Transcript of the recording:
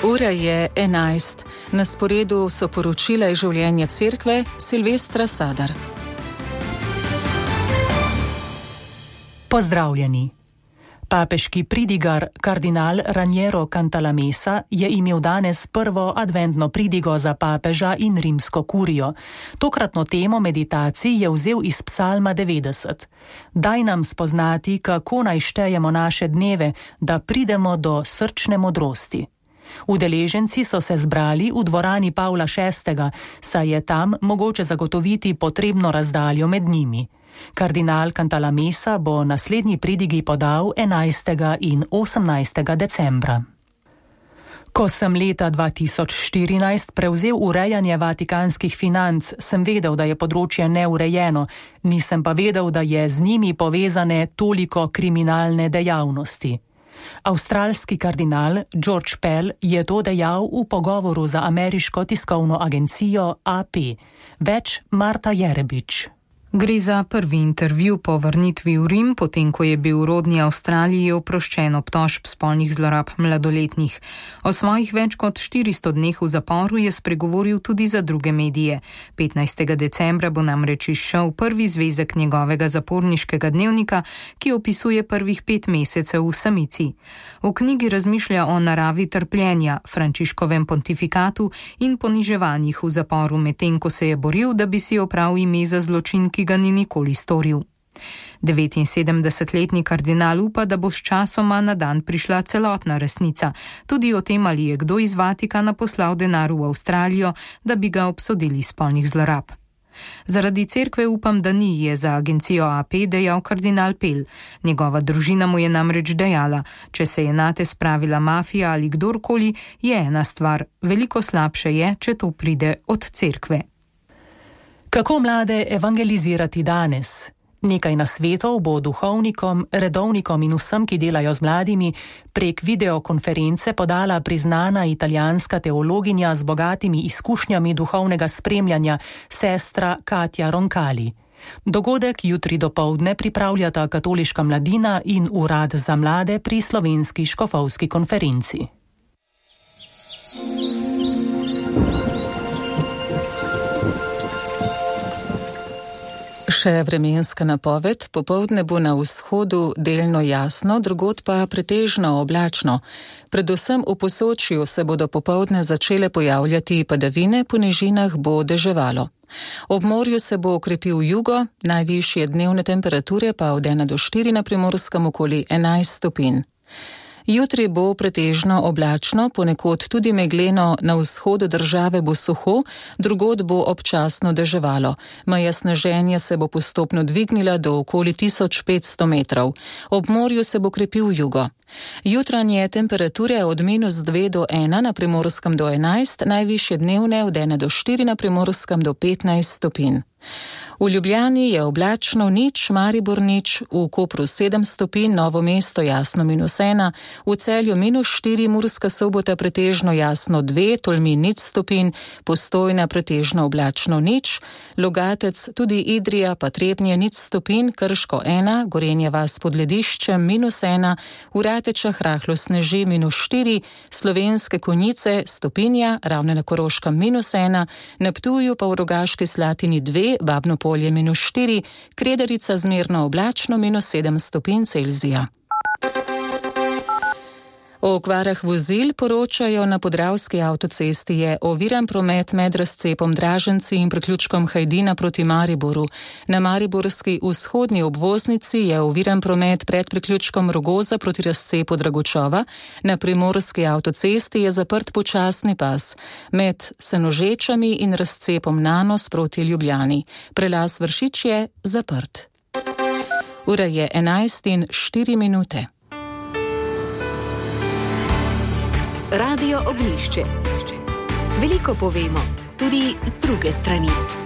Ura je 11. Na sporedu so poročila iz življenja cerkve Silvestra Sadar. Pozdravljeni. Papeški pridigar kardinal Raniero Cantalamessa je imel danes prvo adventno pridigo za papeža in rimsko kurijo. Tokratno temo meditacij je vzel iz psalma 90. Daj nam spoznati, kako naj štejemo naše dneve, da pridemo do srčne modrosti. Udeleženci so se zbrali v dvorani Pavla VI, saj je tam mogoče zagotoviti potrebno razdaljo med njimi. Kardinal Cantalamessa bo naslednji pridigi podal 11. in 18. decembra. Ko sem leta 2014 prevzel urejanje vatikanskih financ, sem vedel, da je področje neurejeno, nisem pa vedel, da je z njimi povezane toliko kriminalne dejavnosti. Avstralski kardinal George Pell je to dejal v pogovoru za ameriško tiskovno agencijo AP. Več Marta Jerebič. Gre za prvi intervju po vrnitvi v Rim, potem ko je bil v rodni Avstraliji oproščen obtožb spolnih zlorab mladoletnih. O svojih več kot 400 dneh v zaporu je spregovoril tudi za druge medije. 15. decembra bo namreč izšel prvi zvezek njegovega zaporniškega dnevnika, ki opisuje prvih 5 mesecev v samici. V knjigi razmišlja o naravi trpljenja, Frančiškovem pontifikatu in poniževanjih v zaporu, medtem ko se je boril, da bi si opral ime za zločin, ki ga ni nikoli storil. 79-letni kardinal upa, da bo s časoma na dan prišla celotna resnica, tudi o tem, ali je kdo iz Vatikana poslal denar v Avstralijo, da bi ga obsodili spolnih zlorab. Zaradi cerkve upam, da ni, je za agencijo AP dejal kardinal Pell. Njegova družina mu je namreč dejala, če se je nate spravila mafija ali kdorkoli, je ena stvar, veliko slabše je, če to pride od cerkve. Kako mlade evangelizirati danes? Nekaj nasvetov bo duhovnikom, redovnikom in vsem, ki delajo z mladimi, prek videokonference podala priznana italijanska teologinja z bogatimi izkušnjami duhovnega spremljanja, sestra Katja Roncalli. Dogodek jutri dopoldne pripravljata Katoliška mladina in Urad za mlade pri Slovenski škofovski konferenci. Še vremenska napoved, popoldne bo na vzhodu delno jasno, drugod pa pretežno oblačno. Predvsem v Posočju se bodo popoldne začele pojavljati padavine, po nižinah bo deževalo. Ob morju se bo okrepil jugo, najvišje dnevne temperature pa od 1 do 4 na Primorskem okoli 11 stopinj. Jutri bo pretežno oblačno, ponekod tudi megleno, na vzhodu države bo suho, drugod bo občasno deževalo. Meja sneženja se bo postopno dvignila do okoli 1500 metrov. Ob morju se bo krepil jugo. Jutranje temperature od -2 do 1 na Primorskem do 11, najvišje dnevne od 1 do 4 na Primorskem do 15 stopinj. V Ljubljani je oblačno nič, Maribor nič, v Kopru 7 stopinj, Novo mesto jasno -1, v Celju -4, Murska Sobota pretežno jasno 2, Tolmin 0 stopinj, Postojna pretežno oblačno nič, Logatec, tudi Idrija pa Trebnje 0 stopinj, Krško 1, Gorenje vas pod Lediščem -1, v Ratečah rahlo sneži -4, Slovenske Konjice stopinja, Ravne na Koroškem -1, na Ptuju pa v Rogaški Slatini 2, Babno Polje -4, Kredarica zmerno oblačno -7 stopinj Celzija. O okvarah vozil poročajo na Podravski avtocesti je oviran promet med razcepom Draženci in priključkom Hajdina proti Mariboru. Na mariborski vzhodni obvoznici je oviran promet pred priključkom Rogoza proti razcepu Dragočova. Na primorski avtocesti je zaprt počasni pas med Senožečami in razcepom Nanos proti Ljubljani. Prelaz Vršič je zaprt. Ura je 11:04. Radio Oglišče. Veliko povemo, tudi z druge strani.